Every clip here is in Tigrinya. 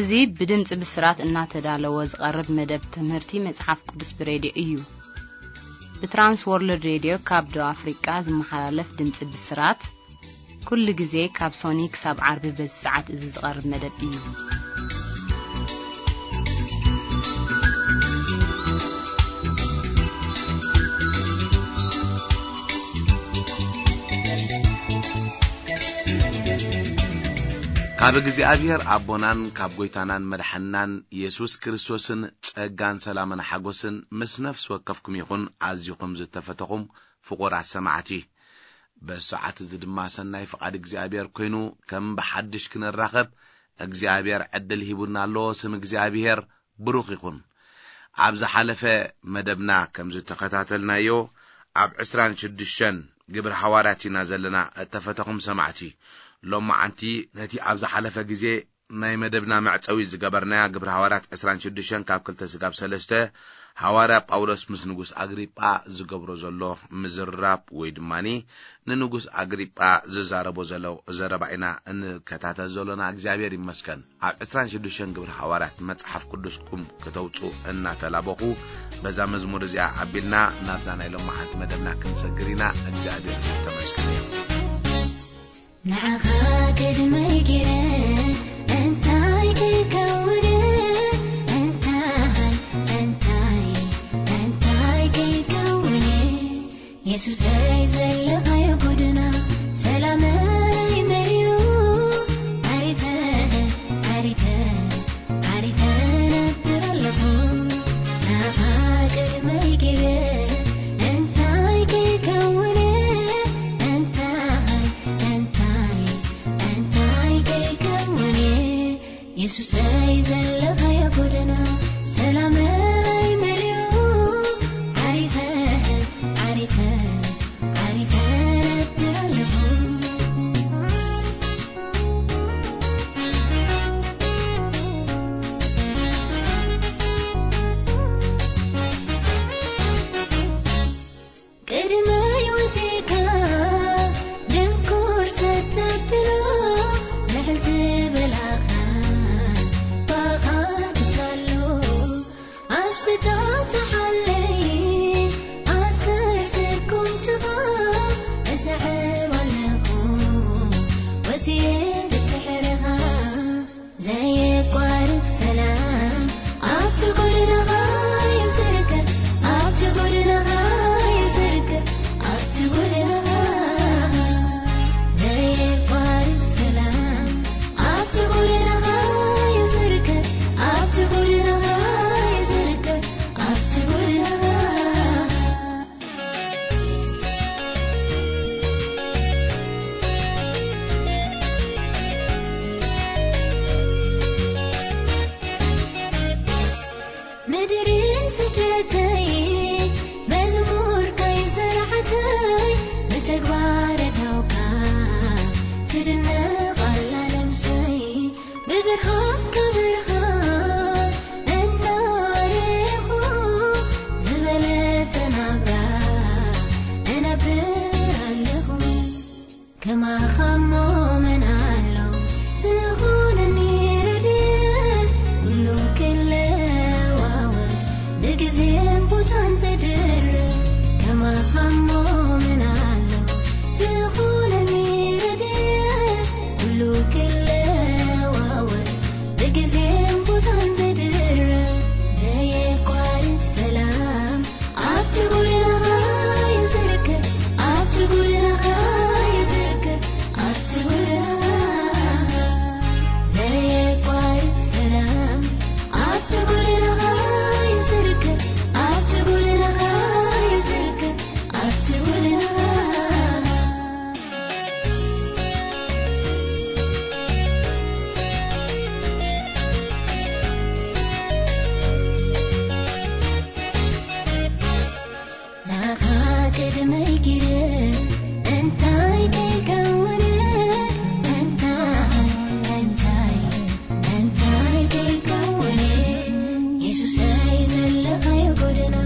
እዚ ብድምጺ ብስራት እናተዳለወ ዝቐርብ መደብ ትምህርቲ መጽሓፍ ቅዱስ ብሬድዮ እዩ። ብትራንስ ወርልድ ሬድዮ ካብ ደቡብ ኣፍሪቃ ዝመሓላለፍ ድምጺ ብስራት፣ ኩሉ ግዜ ካብ ሶኒ ክሳብ ዓርቢ በዚ ሰዓት እዚ ዝቐርብ መደብ እዩ። ካብ እግዚኣብሔር ኣቦናን ካብ ጐይታናን መድሓንናን የሱስ ክርስቶስን ጸጋን ሰላምን ሓጎስን ምስ ነፍሲ ወከፍኩም ይኹን። ኣዚኹም ዝተፈተኹም ፍቑራት ሰማዕቲ፣ በዚ ሰዓት እዚ ድማ ሰናይ ፍቓድ እግዚኣብሔር ኮይኑ ከም ብሓድሽ ክንራኸብ እግዚኣብሔር ዕድል ሂቡና ኣሎ። ስም እግዚኣብሔር ብሩኽ ይኹን። ኣብ ዝሓለፈ መደብና ከም ዝተኸታተልናዮ፣ ኣብ ዕስራን ሽዱሽተን ግብሪ ሃዋርያት ኢና ዘለና። እተፈተኹም ሰማዕቲ፣ ሎማዓንቲ ነቲ ኣብ ዝሓለፈ ግዜ ናይ መደብና መዕጸዊ ዝገበርናያ ግብሪ ሃዋርያት ዕስራን ሽዱሽተን ካብ ክልተ ስጋብ ሰለስተ፣ ሃዋርያ ጳውሎስ ምስ ንጉስ ኣግሪጳ ዝገብሮ ዘሎ ምዝራብ ወይ ድማኒ ንንጉስ ኣግሪጳ ዝዛረቦ ዘሎ ዘረባ ኢና እንከታተል ዘሎና። እግዚኣብሔር ይመስገን። ኣብ ዕስራን ሽዱሽተን ግብሪ ሃዋርያት መጽሓፍ ቅዱስኩም ከተውጹ እናተላበኹ፣ በዛ መዝሙር እዚኣ ኣቢልና ናብዛ ናይ ሎማዓንቲ መደብና ክንሰግር ኢና። እግዚኣብሔር ዝተመስገነ እዩ። ንዓኻ ቅድመይ ገይረ እንታይ ክከውን፣ እንታይ፣ እንታይ፣ እንታይ ክከውን፣ የሱሰይ ዘለኻዮ ጎደና ሰላመይ መሊኡ፣ ዓሪፈ፣ ዓሪፈ፣ ዓሪፈ ነብር ኣለኹ። ንዓኻ ቅድመይ ገይረ እንታይ ክከውን፣ እንታይ፣ እንታይ፣ እንታይ ክከውን፣ የሱሰይ ዘለኻዮ ጎደና ሰላመይ መሊኡ፣ ዓሪፈ፣ ዓሪፈ፣ ዓሪፈ ነብር ኣለኹ። ቅድመይ ወጺእካ ድንኩር ሰብ ተብሎ፣ ልዕል ዝበላኻ ባኻ ክሳሎ፣ ኣብ ስጦታ ሓለይ ኣሰር ስርኩም ትኻ፣ እሰዕብ ኣለኹ ወጺኤ ድድሕርኻ። ዘየቋርጽ ሰላም ኣብቲ ጎደናኻ እዩ ዝርከብ፣ ኣብቲ ጎደናኻ እዩ ዝርከብ፣ ኣብቲ ጎደናኻ። ዘየቋርጽ ሰላም ኣብቲ ጎደናኻ እዩ ዝርከብ፣ ኣብቲ ጎደናኻ እዩ ዝርከብ፣ ኣብቲ ጎደናኻ። ምድርን ስደተይ መዝሙር ከይሰርዓተይ ብተግባር እታውካ ትድነቕ ኣላ ነብሰይ። ብብርሃንካ ብርሃን እናረኹ ዝበለጸ ናብራ እነብር ኣለኹ። ከማኻ እሞ መን ኣሎ ዝኾነኒ ረድኤት፣ ኩሉ ክለዋወጥ ብግዜን ቦታን ዘድርብ። ከማኻ እሞ መን ኣሎ ዝኾነኒ ረድኤት፣ ኩሉ ክለዋወጥ ብግዜን ቦታን ዘድርብ። ዘየቋርጽ ሰላም ኣብቲ ጎደናኻ እዩ ዝርከብ፣ ኣብቲ ጎደናኻ እዩ ዝርከብ፣ ኣብቲ ጎደናኻ። ዘየቋርጽ ሰላም ኣብቲ ጎደናኻ እዩ ዝርከብ፣ ኣብቲ ጎደናኻ እዩ ዝርከብ፣ ኣብቲ ጎደናኻ። ንዓኻ ቅድመይ ጊረ እንታይ ከይከውን፣ እንታይ፣ እንታይ፣ እንታይ ከይከውን፣ የሱሰይ ዘለኻዮ ጎደና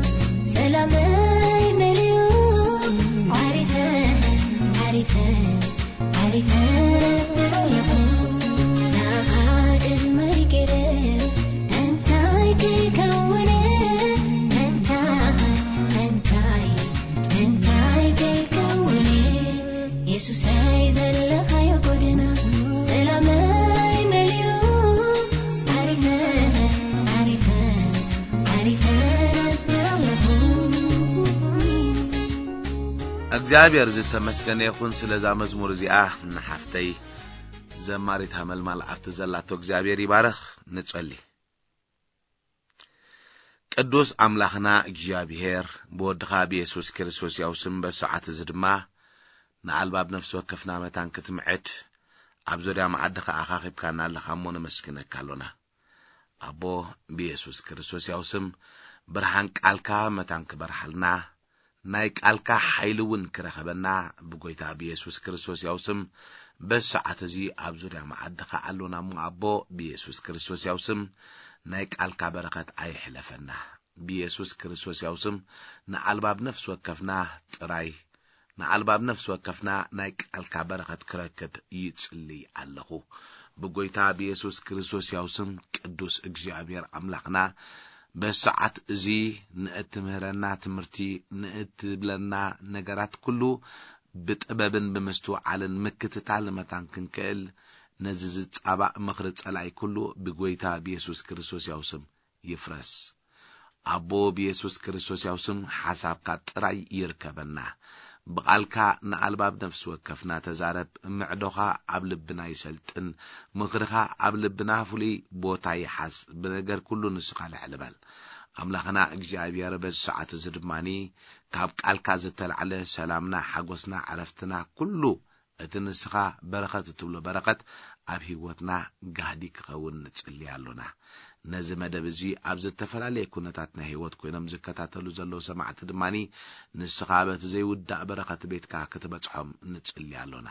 ሰላመይ መሊኡ፣ ዓሪፈ፣ ዓሪፈ፣ ዓሪፈ ነብር ኣለኹ። ንዓኻ ቅድመይ ጊረ የሱሰይ ዘለኻዮ ጎደና ሰላመይ መሊኡ ዓሪፈ ዓሪፈ ዓሪፈ ነብር ኣለኹ። እግዚኣብሔር ዝተመስገነ ይኹን ስለዛ መዝሙር እዚኣ ንሓፍተይ ዘማሪት ሃመልማል ኣብቲ ዘላቶ እግዚኣብሔር ይባረኽ። ንጸሊ። ቅዱስ ኣምላኽና እግዚኣብሔር ብወድኻ ብየሱስ ክርስቶስ ያው ስም በሰዓት እዚ ድማ ንኣልባብ ነፍሲ ወከፍና መታን ክትምዕድ ኣብ ዙርያ መዓዲ ኸዓ ኣኻኺብካና ኣለኻ እሞ ነመስግነካ ኣሎና። ኣቦ ብየሱስ ክርስቶስ ያው ስም ብርሃን ቃልካ መታን ክበርሃልና ናይ ቃልካ ሓይሊ እውን ክረኸበና ብጎይታ ብየሱስ ክርስቶስ ያው ስም በሰዓት እዚ ኣብ ዙርያ መዓድኻ ኣሎና እሞ ኣቦ ብየሱስ ክርስቶስ ያው ስም ናይ ቃልካ በረኸት ኣይሕለፈና። ብየሱስ ክርስቶስ ያው ስም ንኣልባብ ነፍሲ ወከፍና ጥራይ ንኣልባብ ነፍሲ ወከፍና ናይ ቃልካ በረኸት ክረክብ ይጽልይ ኣለኹ። ብጎይታ ብየሱስ ክርስቶስ ያው ስም ቅዱስ እግዚኣብሔር ኣምላኽና በሰዓት እዚ ንእትምህረና ትምህርቲ ንእትብለና ነገራት ኩሉ ብጥበብን ብምስትውዓልን ምክትታል መታን ክንክእል ነዚ ዝጻባእ ምኽሪ ጸላይ ኩሉ ብጎይታ ብየሱስ ክርስቶስ ያው ስም ይፍረስ። ኣቦ ብየሱስ ክርስቶስ ያው ስም ሓሳብካ ጥራይ ይርከበና። ብቓልካ ንኣልባብ ነፍሲ ወከፍና ተዛረብ፣ ምዕዶኻ ኣብ ልብና ይሰልጥን፣ ምኽርኻ ኣብ ልብና ፍሉይ ቦታ ይሓዝ። ብነገር ኩሉ ንስኻ ልዕል በል። ኣምላኽና እግዚኣብሔር በዚ ሰዓት እዚ ድማኒ ካብ ቃልካ ዝተላዕለ ሰላምና፣ ሓጎስና፣ ዕረፍትና ኩሉ እቲ ንስኻ በረኸት እትብሎ በረኸት ኣብ ህይወትና ጋህዲ ክኸውን ንጽሊ ኣሎና። ነዚ መደብ እዚ ኣብ ዝተፈላለየ ኩነታት ናይ ህይወት ኮይኖም ዝከታተሉ ዘለዉ ሰማዕቲ ድማኒ ንስኻ በቲ ዘይውዳእ በረኸት ቤትካ ክትበጽሖም ንጽሊ ኣሎና።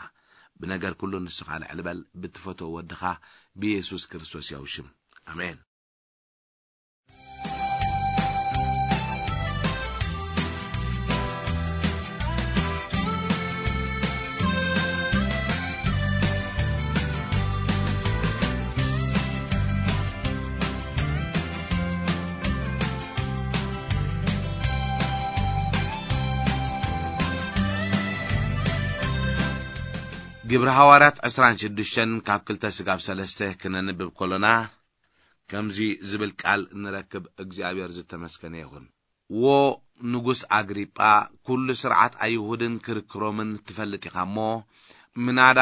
ብነገር ኩሉ ንስኻ ልዕል በል ብትፈትዎ ወድኻ ብየሱስ ክርስቶስ ያው ሽም። ኣሜን። ግብሪ ሃዋርያት ዕስራን ሽዱሽተን ካብ ክልተ ስጋብ ሰለስተ ክነንብብ ከሎና ከምዚ ዝብል ቃል ንረክብ። እግዚኣብሔር ዝተመስገነ ይኹን። ዎ ንጉስ ኣግሪጳ፣ ኩሉ ስርዓት ኣይሁድን ክርክሮምን ትፈልጥ ኢኻ እሞ፣ ምናዳ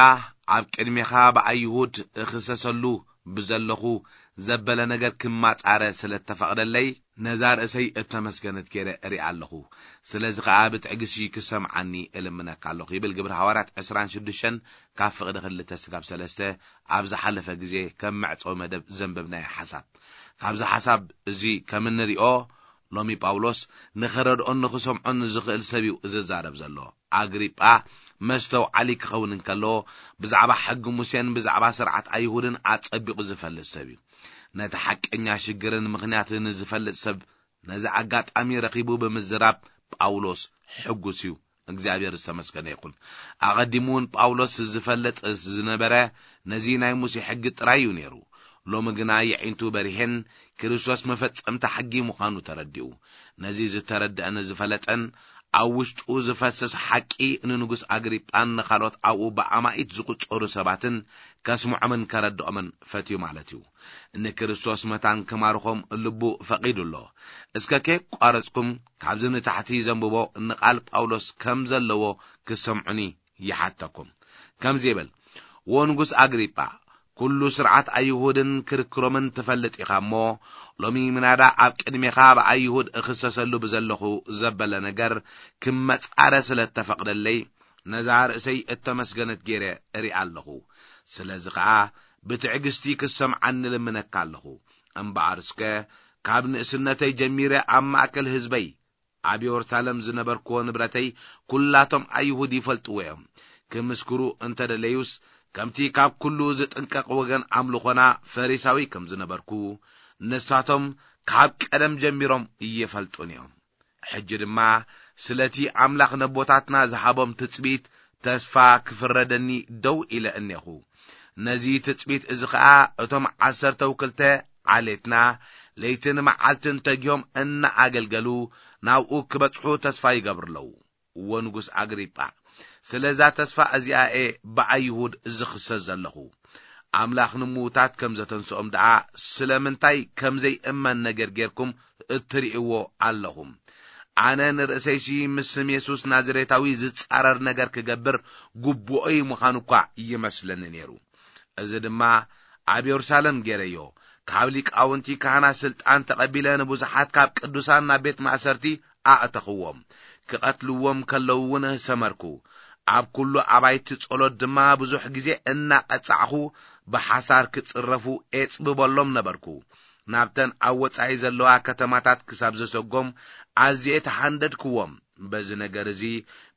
ኣብ ቅድሜኻ ብኣይሁድ እኽሰሰሉ ብዘለኹ ዘበለ ነገር ክማጻረ ስለ እተፈቕደለይ፣ ነዛ ርእሰይ እተመስገነት ገይረ እሪኣ ኣለኹ። ስለዚ ኸኣ ብትዕግሲ ክሰምዓኒ እልምነካ ኣለኹ፣ ይብል ግብሪ ሃዋርያት ዕስራን ሽዱሽተን ካብ ፍቕዲ ክልተ ስጋብ ሰለስተ ኣብ ዝሓለፈ ግዜ ከም መዕጸዊ መደብ ዘንበብናዮ ሓሳብ። ካብዚ ሓሳብ እዚ ከም እንሪኦ፣ ሎሚ ጳውሎስ ንኸረድኦን ንኽሰምዖን ንዝኽእል ሰብ እዩ ዝዛረብ ዘሎ። ኣግሪጳ መስተውዓሊ ክኸውን እንከሎ፣ ብዛዕባ ሕጊ ሙሴን ብዛዕባ ስርዓት ኣይሁድን ኣጸቢቑ ዝፈልጥ ሰብ እዩ። ነቲ ሓቀኛ ሽግርን ምኽንያትን ዝፈልጥ ሰብ ነዚ ኣጋጣሚ ረኺቡ ብምዝራብ ጳውሎስ ሕጉስ እዩ። እግዚኣብሔር ዝተመስገነ ይኹን። ኣቐዲሙ እውን ጳውሎስ ዝፈልጥ ዝነበረ ነዚ ናይ ሙሴ ሕጊ ጥራይ እዩ ነይሩ። ሎሚ ግና የዒንቱ በሪሄን ክርስቶስ መፈጸምታ ሕጊ ምዃኑ ተረዲኡ። ነዚ ዝተረድአን ዝፈለጠን ኣብ ውሽጡ ዝፈስስ ሓቂ ንንጉስ ኣግሪጳን ንኻልኦት ኣብኡ ብኣማኢት ዝቑጸሩ ሰባትን ከስምዖምን ከረድኦምን ፈትዩ ማለት እዩ። ንክርስቶስ መታን ክማርኾም ልቡ ፈቒዱ ኣሎ። እስከ ከየቋረጽኩም ካብዚ ንታሕቲ ዘንብቦ ንቓል ጳውሎስ ከም ዘለዎ ክሰምዑኒ ይሓተኩም። ከምዚ ይብል፣ "ዎ ንጉስ ኣግሪጳ፣ ኩሉ ስርዓት ኣይሁድን ክርክሮምን ትፈልጥ ኢኻ እሞ፣ ሎሚ ምናዳ ኣብ ቅድሜኻ ብኣይሁድ እኽሰሰሉ ብዘለኹ ዘበለ ነገር ክመጻረ ስለ እተፈቕደለይ፣ ነዛ ርእሰይ እተመስገነት ገይረ እሪኣ ኣለኹ። ስለዚ ኸኣ ብትዕግስቲ ክሰምዓኒ እልምነካ ኣለኹ። እምበኣር እስከ ካብ ንእስነተይ ጀሚረ ኣብ ማእከል ህዝበይ ኣብ የሩሳሌም ዝነበርክዎ ንብረተይ ኩላቶም ኣይሁድ ይፈልጥዎ እዮም። ክምስክሩ እንተ ደለዩስ፣ ከምቲ ካብ ኩሉ ዝጥንቀቕ ወገን ኣምልኾና ፈሪሳዊ ከም ዝነበርኩ፣ ንሳቶም ካብ ቀደም ጀሚሮም ይፈልጡን እዮም። ሕጂ ድማ ስለቲ ኣምላኽ ነቦታትና ዝሃቦም ትጽቢት ተስፋ ክፍረደኒ ደው ኢለ እኔኹ። ነዚ ትጽቢት እዚ ኸኣ እቶም ዓሰርተው ክልተ ዓሌትና ለይትን መዓልትን ተጊሆም እናኣገልገሉ ናብኡ ክበጽሑ ተስፋ ይገብሩ ኣለዉ። እዎ ንጉስ ኣግሪጳ፣ ስለዛ ተስፋ እዚኣ እየ ብኣይሁድ ዝኽሰስ ዘለኹ። ኣምላኽ ንምዉታት ከም ዘተንስኦም ደኣ ስለምንታይ ከም ዘይእመን ነገር ጌርኩም እትርእይዎ ኣለኹም። ኣነ ንርእሰይሲ ምስ ስም የሱስ ናዝሬታዊ ዝጻረር ነገር ክገብር ግቡኦይ ምዃኑ እኳ ይመስለኒ ነይሩ። እዚ ድማ ኣብ የሩሳሌም ገይረዮ። ካብ ሊቃውንቲ ካህናት ስልጣን ተቐቢለ ንብዙሓት ካብ ቅዱሳን ናብ ቤት ማእሰርቲ ኣእተኽዎም። ክቐትልዎም ከለዉ እውን ሰመርኩ። ኣብ ኩሉ ኣባይቲ ጸሎት ድማ ብዙሕ ግዜ እናቐጻዕኹ ብሓሳር ክጽረፉ ኤጽብበሎም ነበርኩ። ናብተን ኣብ ወጻኢ ዘለዋ ከተማታት ክሳብ ዘሰጎም ኣዝየ ተሓንደድክዎም። በዚ ነገር እዚ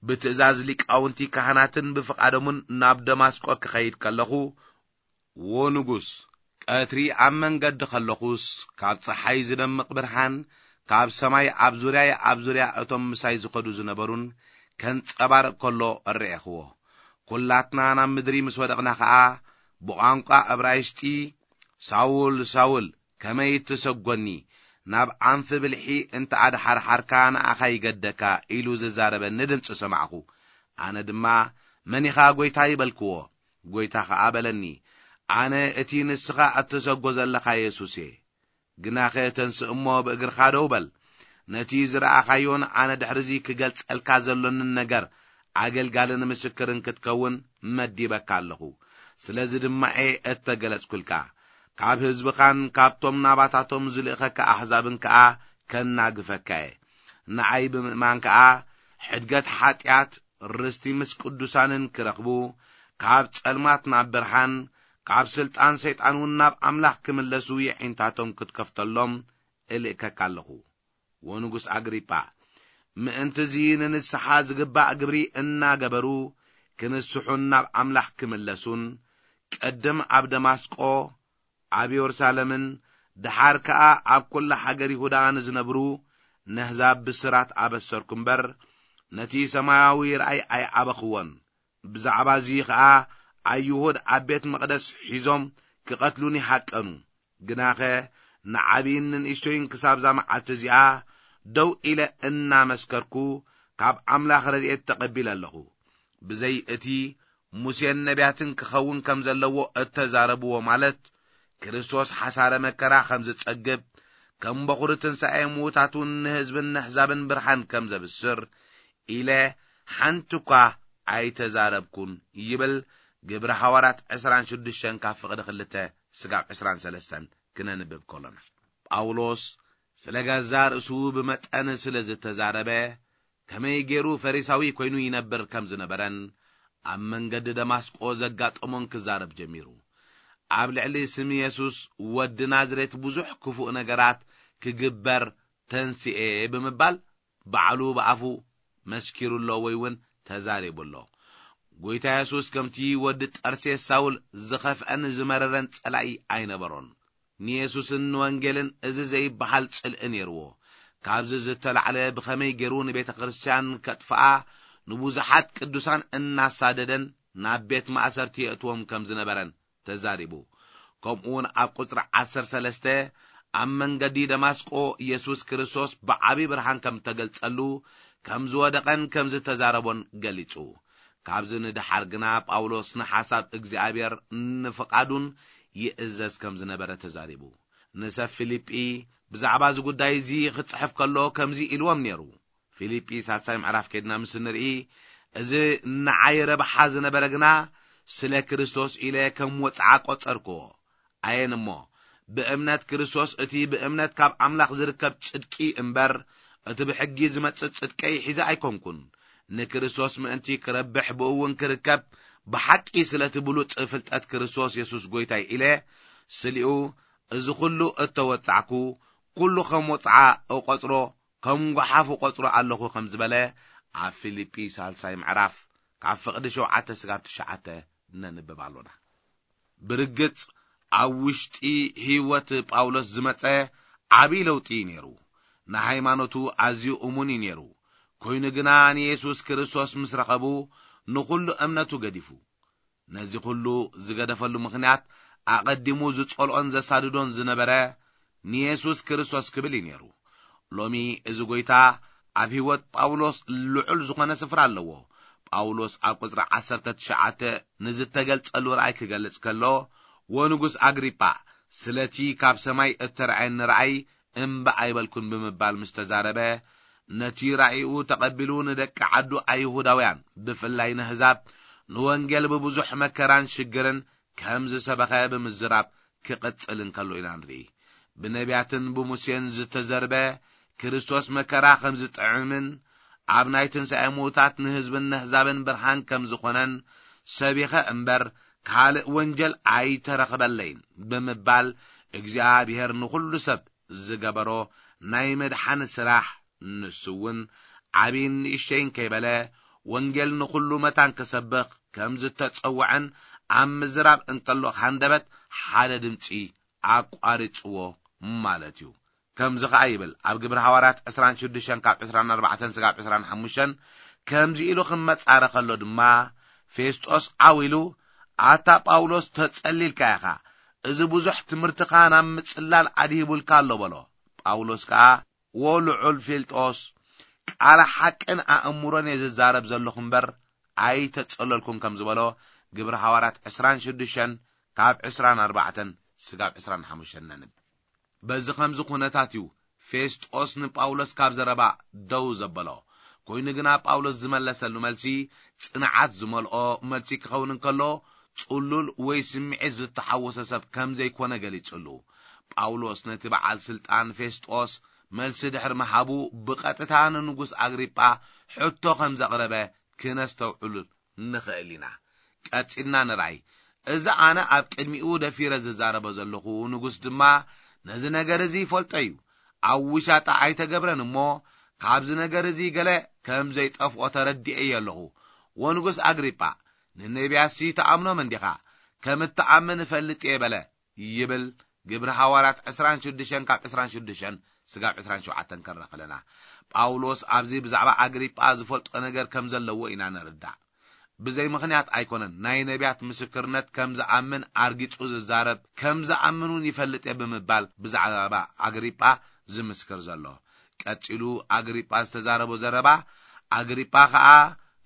ብትእዛዝ ሊቃውንቲ ካህናትን ብፍቓዶምን ናብ ደማስቆ ክኸይድ ከለኹ፣ ዎ ንጉስ፣ ቀትሪ ኣብ መንገዲ ከለኹስ፣ ካብ ጸሓይ ዝደምቕ ብርሃን ካብ ሰማይ ኣብ ዙርያይ ኣብ ዙርያ እቶም ምሳይ ዝኸዱ ዝነበሩን ከንጸባርቕ ከሎ እረኤኽዎ። ኩላትና ናብ ምድሪ ምስ ወደቕና ኸኣ፣ ብቋንቋ እብራይስጢ፣ "ሳውል፣ ሳውል፣ ከመይ ትሰጎኒ? ናብ ኣንፊ ብልሒ እንተ ኣድሓርሓርካ ንኣኻ ይገደካ" ኢሉ ዝዛረበኒ ድምጺ ሰማዕኹ። ኣነ ድማ፣ "መን ኢኻ ጐይታይ?" በልክዎ። ጐይታ ኸኣ በለኒ፣ "ኣነ እቲ ንስኻ እትሰጎ ዘለኻ የሱስ እየ። ግናኸ ተንስእ እሞ ብእግርኻ ደው በል። ነቲ ዝረኣኻዮን ኣነ ድሕርዚ ክገልጸልካ ዘሎንን ነገር ኣገልጋልን ምስክርን ክትከውን መዲበካ ኣለኹ። ስለዚ ድማ እየ እተገለጽኩልካ። ካብ ህዝብኻን ካብቶም ናባታቶም ዝልእኸካ ኣሕዛብን ከኣ ከናግፈካ እየ። ንኣይ ብምእማን ከኣ ሕድገት ሓጢኣት፣ ርስቲ ምስ ቅዱሳንን ክረኽቡ፣ ካብ ጸልማት ናብ ብርሃን፣ ካብ ስልጣን ሰይጣን እውን ናብ ኣምላኽ ክምለሱ የዒንታቶም ክትከፍተሎም እልእከካ ኣለኹ። ወንጉስ ኣግሪጳ፣ ምእንቲ እዚ ንንስሓ ዝግባእ ግብሪ እናገበሩ ክንስሑን ናብ ኣምላኽ ክምለሱን፣ ቅድም ኣብ ደማስቆ፣ ኣብ የሩሳሌምን፣ ደሓር ከኣ ኣብ ኩላ ሃገር ይሁዳ ንዝነብሩ ነህዛብ ብስራት ኣበሰርኩ እምበር፣ ነቲ ሰማያዊ ራእይ ኣይኣበኽዎን። ብዛዕባ እዚ ኸኣ ኣይሁድ ኣብ ቤት መቕደስ ሒዞም ክቐትሉኒ ሃቀኑ። ግናኸ ንዓብይን ንንእሽቶይን ክሳብዛ መዓልቲ እዚኣ ደው ኢለ እናመስከርኩ ካብ ኣምላኽ ረድኤት ተቐቢለ ኣለኹ። ብዘይ እቲ ሙሴን ነቢያትን ክኸውን ከም ዘለዎ እተዛረብዎ፣ ማለት ክርስቶስ ሓሳረ መከራ ከም ዝጸግብ፣ ከም በኹሪ ትንሳኤ ምዉታት እውን ንህዝብን ነሕዛብን ብርሃን ከም ዘብስር ኢለ ሓንቲ እኳ ኣይተዛረብኩን ይብል ግብሪ ሃዋርያት ዕስራን ሽዱሽተን ካብ ፍቕዲ ክልተ ስጋብ ዕስራን ሰለስተን ክነንብብ ከሎና። ጳውሎስ ስለ ገዛ ርእሱ ብመጠን ስለ ዝተዛረበ ከመይ ገይሩ ፈሪሳዊ ኮይኑ ይነብር ከም ዝነበረን ኣብ መንገዲ ደማስቆ ዘጋጠሞን ክዛረብ ጀሚሩ። ኣብ ልዕሊ ስም የሱስ ወዲ ናዝሬት ብዙሕ ክፉእ ነገራት ክግበር ተንስኤ ብምባል ባዕሉ ብኣፉ መስኪሩ ኣሎ ወይ እውን ተዛሪቡ ኣሎ። ጎይታ የሱስ ከምቲ ወዲ ጠርሴስ ሳውል ዝኸፍአን ዝመረረን ጸላኢ ኣይነበሮን። ንየሱስን ንወንጌልን እዚ ዘይበሃል ጽልኢ ነይርዎ። ካብዚ ዝተላዕለ ብኸመይ ገይሩ ንቤተ ክርስቲያን ከጥፍኣ ንብዙሓት ቅዱሳን እናሳደደን ናብ ቤት ማእሰርቲ የእትዎም ከም ዝነበረን ተዛሪቡ። ከምኡ እውን ኣብ ቁጽሪ ዓሰርተ ሰለስተ ኣብ መንገዲ ደማስቆ የሱስ ክርስቶስ ብዓቢ ብርሃን ከም ተገልጸሉ፣ ከም ዝወደቐን ከም ዝተዛረቦን ገሊጹ። ካብዚ ንደሓር ግና ጳውሎስ ንሓሳብ እግዚኣብሔር ንፍቓዱን ይእዘዝ ከም ዝነበረ ተዛሪቡ። ንሰብ ፊልጲ ብዛዕባ እዚ ጉዳይ እዚ ክጽሕፍ ከሎ ከምዚ ኢልዎም ነይሩ። ፊልጲ ሳልሳይ ምዕራፍ ከድና ምስ ንርኢ፣ እዚ ንዓይ ረብሓ ዝነበረ ግና ስለ ክርስቶስ ኢለ ከም ወጽዓ ቆጸርክዎ። ኣየን እሞ፣ ብእምነት ክርስቶስ እቲ ብእምነት ካብ ኣምላኽ ዝርከብ ጽድቂ እምበር፣ እቲ ብሕጊ ዝመጽእ ጽድቀይ ሒዘ ኣይኮንኩን። ንክርስቶስ ምእንቲ ክረብሕ ብእውን ክርከብ፣ ብሓቂ ስለቲ ብሉጽ ፍልጠት ክርስቶስ የሱስ ጐይታይ ኢለ፣ ስሊኡ እዚ ኹሉ እተወጻዕኩ፣ ኩሉ ከም ወጽዓ እቖጽሮ፣ ከም ጓሓፍ እቖጽሮ ኣለኹ ከም ዝበለ ኣብ ፊልጲ ሳልሳይ ምዕራፍ ካብ ፍቕዲ ሸውዓተ ስጋብ ትሽዓተ ነንብብ ኣሎና። ብርግጽ ኣብ ውሽጢ ህይወት ጳውሎስ ዝመጸ ዓቢ ለውጢ እዩ ነይሩ። ንሃይማኖቱ ኣዝዩ እሙን እዩ ነይሩ። ኮይኑ ግና ንየሱስ ክርስቶስ ምስ ረኸቡ ንኹሉ እምነቱ ገዲፉ። ነዚ ኩሉ ዝገደፈሉ ምኽንያት ኣቐዲሙ ዝጸልኦን ዘሳድዶን ዝነበረ ንየሱስ ክርስቶስ ክብል እዩ ነይሩ። ሎሚ እዚ ጐይታ ኣብ ህይወት ጳውሎስ ልዑል ዝኾነ ስፍራ ኣለዎ። ጳውሎስ ኣብ ቁጽሪ ዓሰርተ ትሽዓተ ንዝተገልጸሉ ራእይ ክገልጽ ከሎ፣ "ወንጉስ ኣግሪጳ፣ ስለቲ ካብ ሰማይ እተራእየኒ ራእይ እምባ ኣይበልኩን" ብምባል ምስ ተዛረበ፣ ነቲ ራእይኡ ተቐቢሉ ንደቂ ዓዱ ኣይሁዳውያን፣ ብፍላይ ንህዛብ፣ ንወንጌል ብብዙሕ መከራን ሽግርን ከም ዝሰበኸ ብምዝራብ ክቕጽል እንከሎ ኢና ንርኢ። ብነቢያትን ብሙሴን ዝተዘርበ ክርስቶስ መከራ ከም ዝጥዕምን ኣብ ናይ ትንሳኤ ምዉታት ንህዝብን ነህዛብን ብርሃን ከም ዝኾነን ሰቢኸ እምበር ካልእ ወንጀል ኣይተረኽበለይን ብምባል እግዚኣብሔር ንኹሉ ሰብ ዝገበሮ ናይ ምድሓን ስራሕ፣ ንሱ እውን ዓብይን ንእሽተይን ከይበለ ወንጌል ንኹሉ መታን ክሰብኽ ከም ዝተጸውዐን ኣብ ምዝራብ እንከሎ ሃንደበት ሓደ ድምጺ ኣቋሪጽዎ ማለት እዩ። ከምዚ ኸኣ ይብል ኣብ ግብሪ ሃዋርያት ዕስራን ሽዱሽተን ካብ ዕስራን ኣርባዕተን ስጋብ ዕስራን ሓሙሽተን፣ ከምዚ ኢሉ ክመጻረ ከሎ ድማ ፌስጦስ ዓው ኢሉ፣ "ኣታ ጳውሎስ ተጸሊልካ ኢኻ፣ እዚ ብዙሕ ትምህርትኻ ናብ ምጽላል ኣድሂቡልካ ኣሎ" በሎ። ጳውሎስ ከኣ፣ "ዎ ልዑል ፌልጦስ፣ ቃል ሓቅን ኣእምሮን እየ ዝዛረብ ዘለኹ እምበር ኣይተጸለልኩን" ከም ዝበሎ ግብሪ ሃዋርያት ዕስራን ሽዱሽተን ካብ ዕስራን ኣርባዕተን ስጋብ ዕስራን ሓሙሽተን ነንብ። በዚ ኸምዚ ኹነታት እዩ ፌስጦስ ንጳውሎስ ካብ ዘረባ ደው ዘበሎ። ኮይኑ ግና ጳውሎስ ዝመለሰሉ መልሲ ጽንዓት ዝመልኦ መልሲ ክኸውን እንከሎ፣ ጽሉል ወይ ስምዒት ዝተሓወሶ ሰብ ከም ዘይኮነ ገሊጹሉ። ጳውሎስ ነቲ በዓል ስልጣን ፌስጦስ መልሲ ድሕሪ ምሃቡ፣ ብቐጥታ ንንጉስ ኣግሪጳ ሕቶ ከም ዘቕረበ ክነስተውዕሉ ንኽእል ኢና። ቀጺልና ንርኣይ። እዚ ኣነ ኣብ ቅድሚኡ ደፊረ ዝዛረቦ ዘለኹ ንጉስ ድማ ነዚ ነገር እዚ ይፈልጦ እዩ። ኣብ ውሻጣ ኣይተገብረን እሞ፣ ካብዚ ነገር እዚ ገለ ከም ዘይጠፍኦ ተረዲኤ እየ ኣለኹ። ወንጉስ ኣግሪጳ፣ ንነቢያትሲ ትኣምኖም እንዲኻ? ከም እትኣምን እፈልጥ እየ በለ። ይብል ግብሪ ሃዋርያት ዕስራን ሽዱሽተን ካብ ዕስራን ሽዱሽተን ስጋብ ዕስራን ሸውዓተን ከረኸለና። ጳውሎስ ኣብዚ ብዛዕባ ኣግሪጳ ዝፈልጦ ነገር ከም ዘለዎ ኢና ንርዳእ። ብዘይ ምኽንያት ኣይኮነን ናይ ነቢያት ምስክርነት ከም ዝኣምን ኣርጊጹ ዝዛረብ፣ ከም ዝኣምን እውን ይፈልጥ እየ ብምባል ብዛዕባ ኣግሪጳ ዝምስክር ዘሎ። ቀጺሉ ኣግሪጳ ዝተዛረቦ ዘረባ፣ ኣግሪጳ ኸኣ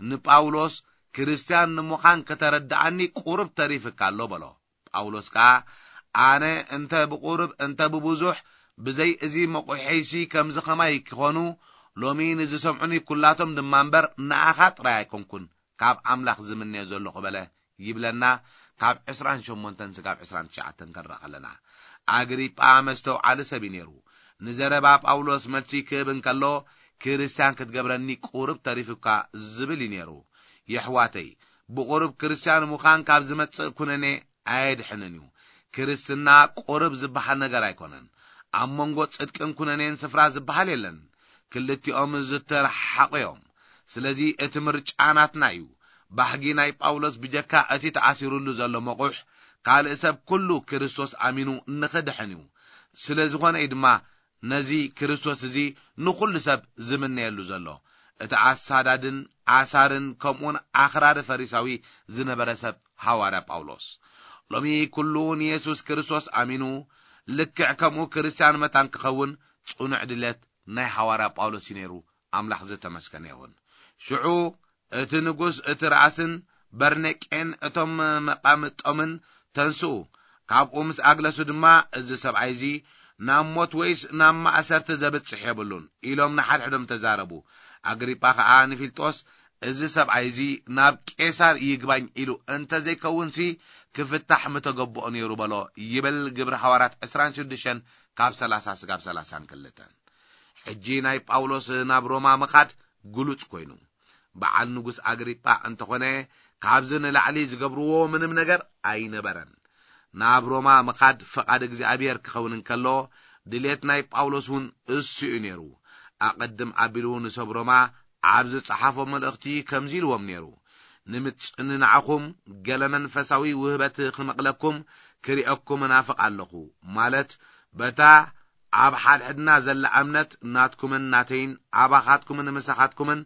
ንጳውሎስ፣ "ክርስትያን ንምዃን ከተረድኣኒ ቁሩብ ተሪፍካ ኣሎ" በሎ። ጳውሎስ ከኣ፣ "ኣነ እንተ ብቑሩብ እንተ ብብዙሕ ብዘይ እዚ መቑሒሲ ከምዚ ኸማይ ክኾኑ፣ ሎሚ ንዝሰምዑኒ ኩላቶም ድማ እምበር ንኣኻ ጥራይ ኣይኮንኩን ካብ ኣምላኽ ዝምነዮ ዘለኹ" በለ ይብለና፣ ካብ ዕስራን ሸሞንተን ስጋብ ዕስራን ትሽዓተን ከንረኣ ከለና። ኣግሪጳ መስተውዓሊ ሰብ እዩ ነይሩ። ንዘረባ ጳውሎስ መልሲ ክህብ እንከሎ፣ "ክርስትያን ክትገብረኒ ቁሩብ ተሪፉካ" ዝብል እዩ ነይሩ። የሕዋተይ፣ ብቑሩብ ክርስትያን ምዃን ካብ ዝመጽእ ኩነኔ ኣየድሕንን እዩ። ክርስትና ቁርብ ዝበሃል ነገር ኣይኮነን። ኣብ መንጎ ጽድቅን ኩነኔን ስፍራ ዝበሃል የለን። ክልቲኦም ዝተረሓሓቑ እዮም። ስለዚ እቲ ምርጫ ናትና እዩ። ባህጊ ናይ ጳውሎስ ብጀካ እቲ ተኣሲሩሉ ዘሎ መቑሕ፣ ካልእ ሰብ ኩሉ ክርስቶስ ኣሚኑ ንኽድሕን እዩ። ስለ ዝኾነ እዩ ድማ ነዚ ክርስቶስ እዚ ንኹሉ ሰብ ዝምነየሉ ዘሎ። እቲ ኣሳዳድን ኣሳርን ከምኡውን ኣኽራሪ ፈሪሳዊ ዝነበረ ሰብ ሃዋርያ ጳውሎስ። ሎሚ ኩሉ ንየሱስ ክርስቶስ ኣሚኑ ልክዕ ከምኡ ክርስትያን መታን ክኸውን ጽኑዕ ድሌት ናይ ሃዋርያ ጳውሎስ እዩ ነይሩ። ኣምላኽ ዝተመስገነ ይኹን። ሽዑ እቲ ንጉስ፣ እቲ ራእስን በርኔቄን እቶም መቃምጦምን፣ "ተንስኡ፣ ካብኡ ምስ ኣግለሱ ድማ፣ እዚ ሰብኣይ እዚ ናብ ሞት ወይስ ናብ ማእሰርቲ ዘብጽሕ የብሉን" ኢሎም ንሓድሕዶም ተዛረቡ። ኣግሪጳ ኸኣ ንፊልጦስ፣ "እዚ ሰብኣይ እዚ ናብ ቄሳር ይግባኝ ኢሉ እንተ ዘይከውንሲ፣ ክፍታሕ ምተገብኦ ነይሩ" በሎ ይብል ግብሪ ሃዋርያት ዕስራን ሽዱሽተን ካብ ሰላሳ ስጋብ ሰላሳን ክልተን። ሕጂ ናይ ጳውሎስ ናብ ሮማ ምኻድ ግሉጽ ኮይኑ፣ በዓል ንጉስ ኣግሪጳ እንተኾነ፣ ካብዚ ንላዕሊ ዝገብርዎ ምንም ነገር ኣይነበረን። ናብ ሮማ ምኻድ ፈቓድ እግዚኣብሔር ክኸውን እንከሎ፣ ድሌት ናይ ጳውሎስ እውን እሱ እዩ ነይሩ። ኣቐድም ኣቢሉ ንሰብ ሮማ ኣብ ዝጸሓፎ መልእኽቲ ከምዚ ኢልዎም ነይሩ፣ "ንምጽንናዕኹም ገለ መንፈሳዊ ውህበት ክመቕለኩም ክርእየኩም እናፍቕ ኣለኹ" ማለት በታ ኣብ ሓድሕድና ዘላ እምነት ናትኩምን ናተይን ኣባኻትኩምን ምሳኻትኩምን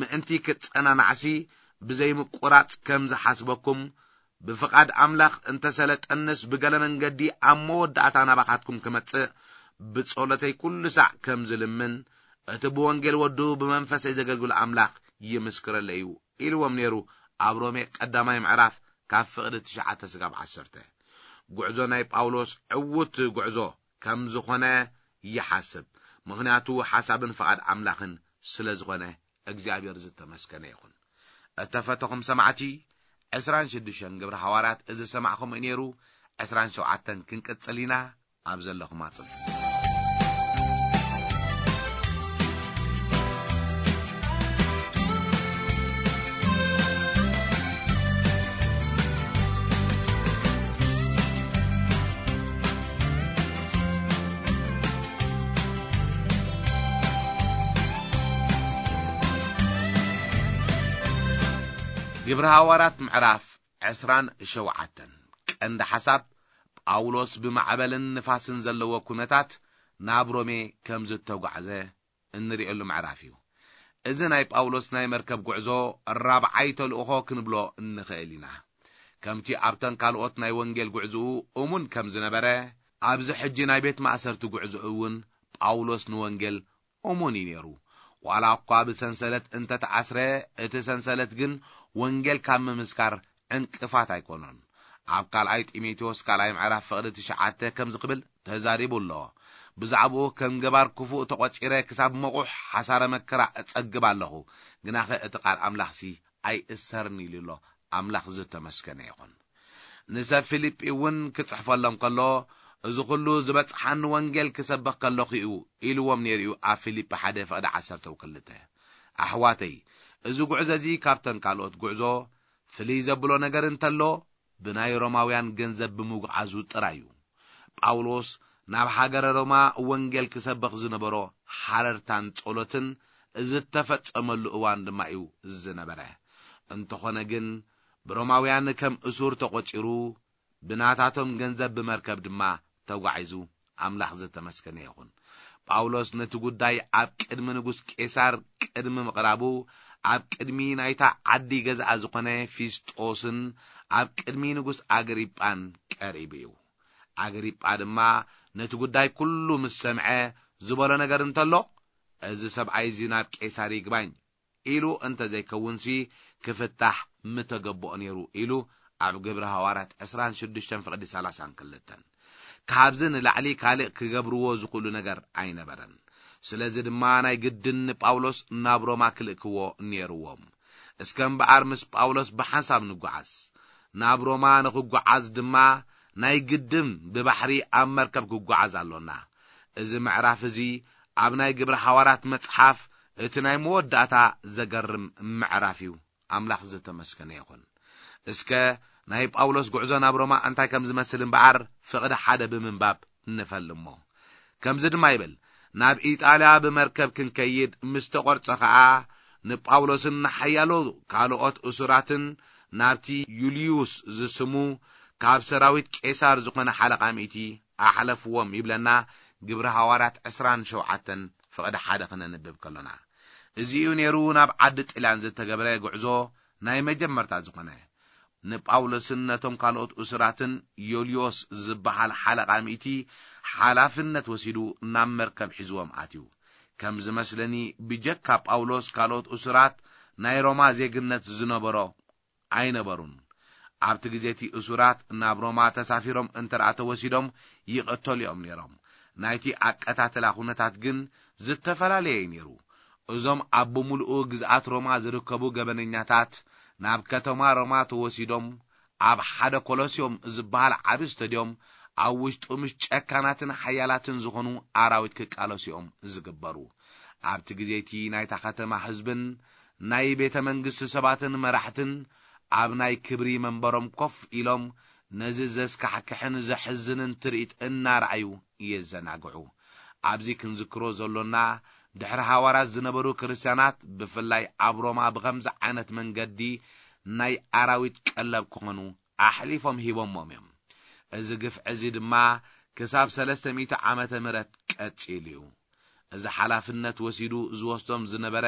ምእንቲ ክትጸናናዕሲ ብዘይምቁራጽ ከም ዝሓስበኩም፣ ብፍቓድ ኣምላኽ እንተሰለጠንስ ብገለ መንገዲ ኣብ መወዳእታ ናባኻትኩም ክመጽእ ብጸሎተይ ኩሉ ሳዕ ከም ዝልምን፣ እቲ ብወንጌል ወዱ ብመንፈሰይ ዘገልግሎ ኣምላኽ ይምስክረለይ እዩ ኢልዎም ነይሩ። ኣብ ሮሜ ቀዳማይ ምዕራፍ ካብ ፍቕዲ ትሽዓተ ስጋብ ዓሰርተ። ጉዕዞ ናይ ጳውሎስ ዕዉት ጉዕዞ ከም ዝኾነ ይሓስብ። ምኽንያቱ ሓሳብን ፍቓድ ኣምላኽን ስለ ዝኾነ እግዚኣብሔር ዝተመስገነ ይኹን። እተፈተኹም ሰማዕቲ፣ ዕስራን ሽዱሽተን ግብሪ ሃዋርያት እዚ ሰማዕኹም እዩ ነይሩ። ዕስራን ሸውዓተን ክንቅጽል ኢና። ኣብ ዘለኹም ኣጽንሑ። ግብሪ ሃዋርያት ምዕራፍ ዕስራን ሸውዓተን። ቀንዲ ሓሳብ፣ ጳውሎስ ብማዕበልን ንፋስን ዘለዎ ኩነታት ናብ ሮሜ ከም ዝተጓዕዘ እንርእየሉ ምዕራፍ እዩ። እዚ ናይ ጳውሎስ ናይ መርከብ ጉዕዞ ራብዓይ ተልእኾ ክንብሎ እንኽእል ኢና። ከምቲ ኣብተን ካልኦት ናይ ወንጌል ጉዕዞኡ እሙን ከም ዝነበረ፣ ኣብዚ ሕጂ ናይ ቤት ማእሰርቲ ጉዕዞኡ እውን ጳውሎስ ንወንጌል እሙን እዩ ነይሩ። ዋላ እኳ ብሰንሰለት እንተተኣስረ፣ እቲ ሰንሰለት ግን ወንጌል ካብ ምምስካር ዕንቅፋት ኣይኮኖን። ኣብ ካልኣይ ጢሞቴዎስ ካልኣይ ምዕራፍ ፍቕዲ ትሽዓተ ከምዚ ክብል ተዛሪቡ ኣሎ። ብዛዕባኡ ከም ገባር ክፉእ ተቖጺረ ክሳብ መቑሕ ሓሳረ መከራ እጸግብ ኣለኹ፣ ግናኸ እቲ ቃል ኣምላኽሲ ኣይእሰርን ኢሉ ኣሎ። ኣምላኽ ዝተመስገነ ይኹን። ንሰብ ፊልጲ እውን ክጽሕፈሎም ከሎ፣ እዚ ኹሉ ዝበጽሓኒ ወንጌል ክሰብኽ ከለኹ እዩ ኢልዎም ነይሩ እዩ። ኣብ ፊልጲ ሓደ ፍቕዲ ዓሰርተ ክልተ። ኣሕዋተይ፣ እዚ ጉዕዞ እዚ ካብተን ካልኦት ጉዕዞ ፍልይ ዘብሎ ነገር እንተሎ፣ ብናይ ሮማውያን ገንዘብ ብምጉዓዙ ጥራይ እዩ። ጳውሎስ ናብ ሃገረ ሮማ ወንጌል ክሰብኽ ዝነበሮ ሓረርታን ጸሎትን ዝተፈጸመሉ እዋን ድማ እዩ ዝነበረ። እንተኾነ ግን፣ ብሮማውያን ከም እሱር ተቖጺሩ፣ ብናታቶም ገንዘብ ብመርከብ ድማ ተጓዒዙ። ኣምላኽ ዝተመስገነ ይኹን። ጳውሎስ ነቲ ጉዳይ ኣብ ቅድሚ ንጉስ ቄሳር ቅድሚ ምቕራቡ፣ ኣብ ቅድሚ ናይታ ዓዲ ገዛኣ ዝኾነ ፊስጦስን ኣብ ቅድሚ ንጉስ ኣግሪጳን ቀሪቡ እዩ። ኣግሪጳ ድማ ነቲ ጉዳይ ኩሉ ምስ ሰምዐ፣ ዝበሎ ነገር እንተሎ፣ "እዚ ሰብኣይ እዚ ናብ ቄሳር ይግባኝ ኢሉ እንተ ዘይከውንሲ፣ ክፍታሕ ምተገብኦ ነይሩ" ኢሉ ኣብ ግብሪ ሃዋርያት ዕስራን ሽዱሽተን ፍቕዲ ሰላሳን ክልተን። ካብዚ ንላዕሊ ካልእ ክገብርዎ ዝኽእሉ ነገር ኣይነበረን። ስለዚ ድማ ናይ ግድን ንጳውሎስ ናብ ሮማ ክልእክዎ ነይርዎም። እስከ እምበኣር ምስ ጳውሎስ ብሓንሳብ ንጓዓዝ። ናብ ሮማ ንኽጓዓዝ ድማ ናይ ግድን ብባሕሪ ኣብ መርከብ ክጓዓዝ ኣሎና። እዚ ምዕራፍ እዚ ኣብ ናይ ግብሪ ሃዋርያት መጽሓፍ እቲ ናይ መወዳእታ ዘገርም ምዕራፍ እዩ። ኣምላኽ ዝተመስገነ ይኹን። እስከ ናይ ጳውሎስ ጉዕዞ ናብ ሮማ እንታይ ከም ዝመስል እምበኣር ፍቕዲ ሓደ ብምንባብ ንፈልሞ። ከምዚ ድማ ይብል፣ "ናብ ኢጣልያ ብመርከብ ክንከይድ ምስ ተቖርጸ ኸኣ፣ ንጳውሎስን ንሓያሎ ካልኦት እሱራትን ናብቲ ዩልዩስ ዝስሙ ካብ ሰራዊት ቄሳር ዝኾነ ሓለቓ ሚእቲ ኣሕለፍዎም" ይብለና። ግብሪ ሃዋርያት ዕስራን ሸውዓተን ፍቕዲ ሓደ ክነንብብ ከሎና፣ እዚ እዩ ነይሩ ናብ ዓዲ ጥልያን ዝተገብረ ጉዕዞ ናይ መጀመርታ ዝኾነ። ንጳውሎስን ነቶም ካልኦት እሱራትን ዮልዮስ ዝበሃል ሓለቓ ሚእቲ ሓላፍነት ወሲዱ ናብ መርከብ ሒዝዎም ኣትዩ። ከም ዝመስለኒ፣ ብጀካ ጳውሎስ ካልኦት እሱራት ናይ ሮማ ዜግነት ዝነበሮ ኣይነበሩን። ኣብቲ ግዜ እቲ እሱራት ናብ ሮማ ተሳፊሮም እንተ ደኣ ተወሲዶም ይቕተሉ እዮም ነይሮም። ናይቲ ኣቀታትላ ኩነታት ግን ዝተፈላለየ እዩ ነይሩ። እዞም ኣብ ብምሉኡ ግዝኣት ሮማ ዝርከቡ ገበነኛታት ናብ ከተማ ሮማ ተወሲዶም ኣብ ሓደ ኮሎስዮም ዝበሃል ዓቢ ስቶድዮም ኣብ ውሽጡ ምስ ጨካናትን ሓያላትን ዝኾኑ ኣራዊት ክቃለሱ እዮም ዝግበሩ። ኣብቲ ግዜ እቲ ናይታ ከተማ ህዝብን ናይ ቤተ መንግስቲ ሰባትን መራሕትን ኣብ ናይ ክብሪ መንበሮም ኮፍ ኢሎም ነዚ ዘስካሕክሕን ዘሕዝንን ትርኢት እናረኣዩ የዘናግዑ። ኣብዚ ክንዝክሮ ዘሎና፣ ድሕሪ ሃዋርያት ዝነበሩ ክርስትያናት፣ ብፍላይ ኣብ ሮማ፣ ብኸምዚ ዓይነት መንገዲ ናይ ኣራዊት ቀለብ ክኾኑ ኣሕሊፎም ሂቦሞም እዮም። እዚ ግፍዒ እዚ ድማ ክሳብ ሰለስተ ሚእቲ ዓመተ ምህረት ቀጺሉ እዩ። እዚ ሓላፍነት ወሲዱ ዝወስዶም ዝነበረ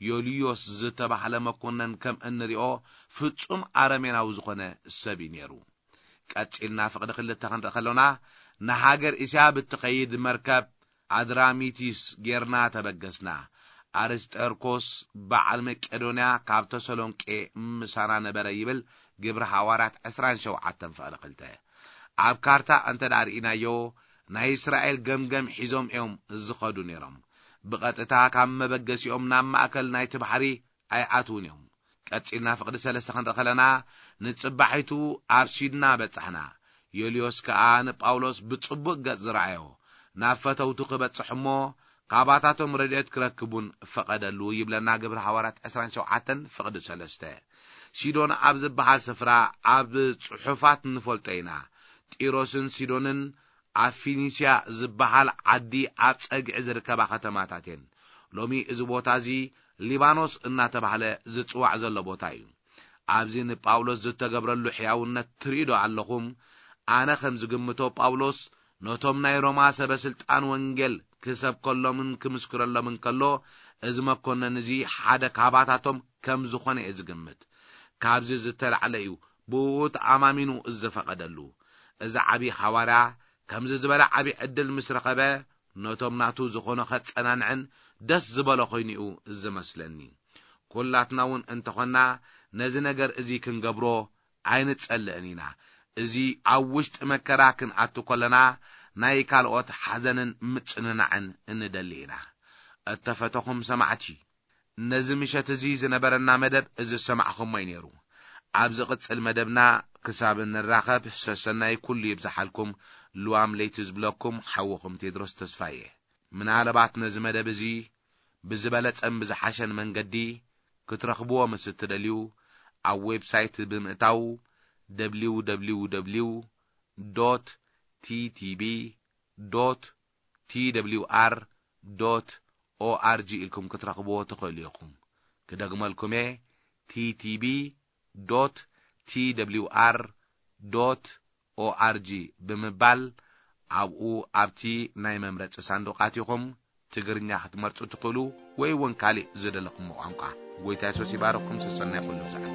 ዮልዮስ ዝተባህለ መኮነን ከም እንሪኦ ፍጹም ኣረሜናዊ ዝኾነ ሰብ እዩ ነይሩ። ቀጺልና ፍቕዲ ክልተ ክንርኢ ከሎና ንሃገር እስያ ብትኸይድ መርከብ ኣድራሚቲስ ጌርና ተበገስና። ኣርስጠርኮስ በዓል መቄዶንያ ካብ ተሰሎንቄ ምሳና ነበረ ይብል ግብሪ ሃዋርያት ዕስራን ሸውዓተን ፍቕዲ ክልተ። ኣብ ካርታ እንተ ደኣ ርኢናዮ፣ ናይ እስራኤል ገምገም ሒዞም እዮም ዝኸዱ ነይሮም። ብቐጥታ ካብ መበገሲኦም ናብ ማእከል ናይቲ ባሕሪ ኣይኣትዉን እዮም። ቀጺልና ፍቕዲ ሰለስተ ክንርኢ ከለና፣ ንጽባሒቱ ኣብ ሲድና በጻሕና። ዮልዮስ ከኣ ንጳውሎስ ብጽቡቕ ገጽ ዝረኣዮ፣ ናብ ፈተውቱ ክበጽሕ እሞ፣ ካባታቶም ረድኤት ክረክቡን ፈቐደሉ ይብለና ግብሪ ሃዋርያት ዕስራን ሸውዓተን ፍቕዲ ሰለስተ። ሲዶን ኣብ ዝበሃል ስፍራ ኣብ ጽሑፋት ንፈልጦ ኢና። ጢሮስን ሲዶንን ኣብ ፊኒስያ ዝበሃል ዓዲ ኣብ ጸግዒ ዝርከባ ከተማታት እየን። ሎሚ እዚ ቦታ እዚ ሊባኖስ እናተባህለ ዝጽዋዕ ዘሎ ቦታ እዩ። ኣብዚ ንጳውሎስ ዝተገብረሉ ሕያውነት ትርእዩ ዶ ኣለኹም? ኣነ ከም ዝግምቶ ጳውሎስ ነቶም ናይ ሮማ ሰበ ስልጣን ወንጌል ክሰብከሎምን ክምስክረሎምን ከሎ፣ እዚ መኮነን እዚ ሓደ ካባታቶም ከም ዝኾነ እየ ዝግምት። ካብዚ ዝተላዕለ እዩ ብእኡ ተኣማሚኑ ዝፈቐደሉ። እዚ ዓቢ ሃዋርያ ከምዚ ዝበለ ዓቢ ዕድል ምስ ረኸበ፣ ነቶም ናቱ ዝኾኖ ከጸናንዕን ደስ ዝበሎ ኮይኑ እዩ ዝመስለኒ። ኩላትና እውን እንተኾንና ነዚ ነገር እዚ ክንገብሮ ኣይንጸልእን ኢና። እዚ ኣብ ውሽጢ መከራ ክንኣቱ ከለና ናይ ካልኦት ሓዘንን ምጽንናዕን እንደሊ ኢና። እተፈተኹም ሰማዕቲ፣ ነዚ ምሸት እዚ ዝነበረና መደብ እዚ ዝሰማዕኹሞ እዩ ነይሩ። ኣብ ዝቕጽል መደብና ክሳብ እንራኸብ ሰሰናይ ኩሉ ይብዝሓልኩም። ልዋም ለይቲ ዝብለኩም ሓውኹም ቴድሮስ ተስፋየ። ምናልባት ነዚ መደብ እዚ ብዝበለጸን ብዝሓሸን መንገዲ ክትረኽብዎ ምስ እትደልዩ፣ ኣብ ዌብሳይት ብምእታው ደብሊው ደብሊው ደብሊው ዶት ቲ ቲ ቢ ዶት ቲ ደብሊው ኣር ዶት ኦ ኣር ጂ ኢልኩም ክትረኽብዎ ትኽእሉ ኢኹም። ክደግመልኩም እየ፣ ቲ ቲ ቢ ዶት ቲ ደብሊው ኣር ዶት ኦ ኣር ጂ ብምባል ኣብኡ ኣብቲ ናይ መምረጺ ሳንዱቕ ኣቲኹም ትግርኛ ክትመርጹ ትኽእሉ፣ ወይ እውን ካልእ ዝደለኹሞ ቋንቋ። ጎይታ የሱስ ይባርኽኩም። ሰሰናይ ኩሉ ብዝሓት።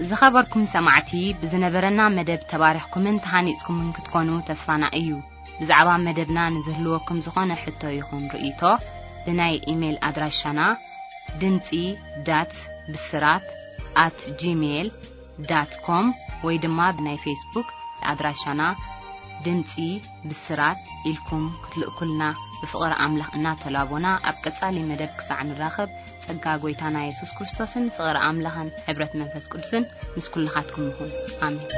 ዝኸበርኩም ሰማዕቲ፣ ብዝነበረና መደብ ተባሪኽኩምን ተሃኒጽኩምን ክትኮኑ ተስፋና እዩ። ብዛዕባ መደብና ንዝህልወኩም ዝኾነ ሕቶ ይኹን ርእይቶ፣ ብናይ ኢሜይል ኣድራሻና ድምጺ ዳት ብስራት ኣት ጂሜይል ዳት ኮም ወይ ድማ ብናይ ፌስቡክ ኣድራሻና ድምጺ ብስራት ኢልኩም ክትልእኩልና ብፍቕሪ ኣምላኽ እናተላቦና፣ ኣብ ቀጻሊ መደብ ክሳዕ ንራኸብ፣ ጸጋ ጎይታና የሱስ ክርስቶስን ፍቕሪ ኣምላኽን ሕብረት መንፈስ ቅዱስን ምስ ኩልኻትኩም ይኹን። ኣሜን።